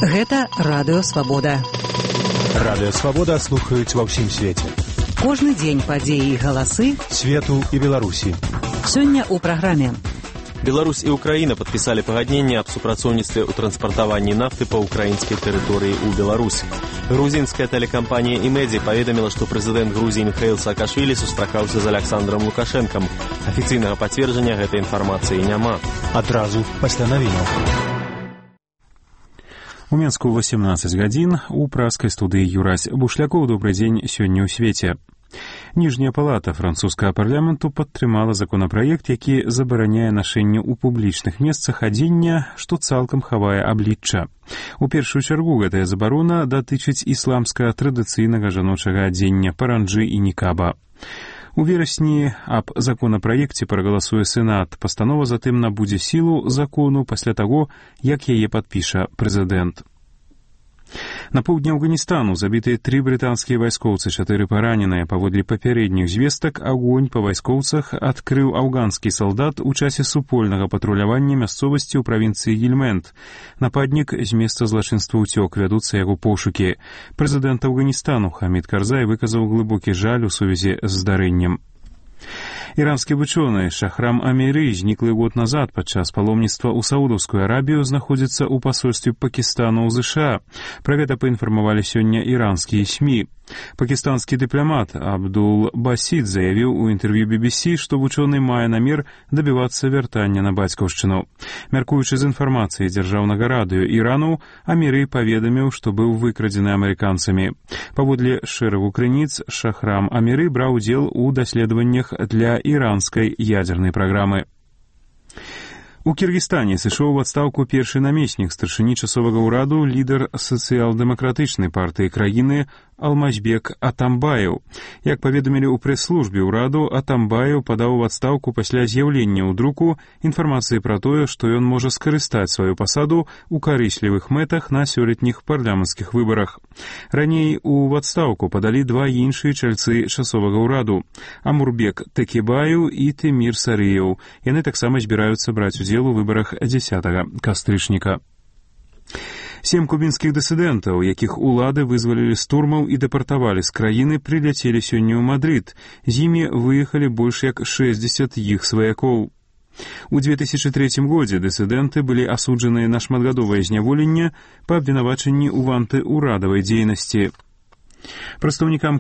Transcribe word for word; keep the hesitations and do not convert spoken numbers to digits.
Гэта Радыё Свабода. Радыё Свабода слухаюць ва ўсім свеце. Кожны дзень падзеі і галасы свету і Беларусі. Сёння ў праграме. Беларусь і Украіна падпісалі пагадненне аб супрацоўніцтве ў транспартаванні нафты па ўкраінскай тэрыторыі ў Беларусі. Грузінская тэлекампанія «Имеди» паведаміла, што прэзідэнт Грузіі Міхаіл Саакашвілі сустракаўся з Аляксандрам Лукашэнкам. Афіцыйнага пацверджання гэтай інфармацыі няма. Адразу пасля навінаў. У Менску восемнадцать гадзін, у праскай студыі Юрась Бушлякоў. Добрый дзень сёння ў свеце. Ніжняя палата французскага парламенту падтрымала законапраект, які забараняе нашэнне ў публічных месцах адзення, што цалкам хавае аблічча. У першую чаргу гэтая забарона датычыць ісламскага традыцыйнага жаночага адзення паранджы і нікаба. У верасні аб законапраекце прагаласуе Сенат. Пастанова затым набудзе сілу закону пасля таго, як яе падпіша прэзідэнт. На поўдні Афганістану забітыя тры брытанскія вайскоўцы, чатыры параненыя. Паводле папярэдніх звестак, агонь па вайскоўцах адкрыў афганскі салдат у часе супольнага патрулявання мясцовасці ў правінцыі Гельмэнд. Нападнік з месца злачынства ўцёк, вядуцца яго пошукі. Прэзідэнт Афганістану Хамід Карзай выказаў глыбокі жаль у сувязі з здарэннем. Іранскі вучоны Шахрам Аміры, зніклы год назад падчас паломніцтва ў Саудаўскую Арабію, знаходзіцца ў пасольстве Пакістану ў ЗША. Пра гэта паінфармавалі сёння іранскія СМІ. Пакістанскі дыпламат Абдул Басід заявіў у інтэрв'ю би би сі, што вучоны мае намер дабівацца вяртання на бацькаўшчыну. Мяркуючы з інфармацыяй дзяржаўнага радыё Ірану, Аміры паведаміў, што быў выкрадзены амерыканцамі. Паводле шэрагу крыніц, Шахрам Аміры браў удзел у даследаваннях для іранскай ядзернай праграмы. У Кіргізстане сышоў у адстаўку першы намеснік старшыні часовага ўраду, лідар сацыял-дэмакратычнай партыі краіны Алмазбек Атамбаев. Як паведамілі ў прэс-службе ўраду, Атамбаев падаў у адстаўку пасля з'яўлення ў друку інфармацыі пра тое, што ён можа скарыстаць сваю пасаду ў карыслівых мэтах на сёлетніх парламенцкіх выбарах. Раней у адстаўку падалі два іншыя чальцы часовага ўраду – Амурбек Тэкебаев і Тэмір Сарыеў. Яны таксама збіраюцца браць удзел у выбарах дзесятага кастрычніка. Сем кубінскіх дысідэнтаў, якіх улады вызвалілі з турмаў і дэпартавалі з краіны, прыляцелі сёння ў Мадрыд. З імі выехалі больш як шэсцьдзесят іх сваякоў. У две тысячы трэцім годзе дысідэнты былі асуджаныя на шматгадовае зняволенне па абвінавачанні ў антыурадавай дзейнасці. Прадстаўнікам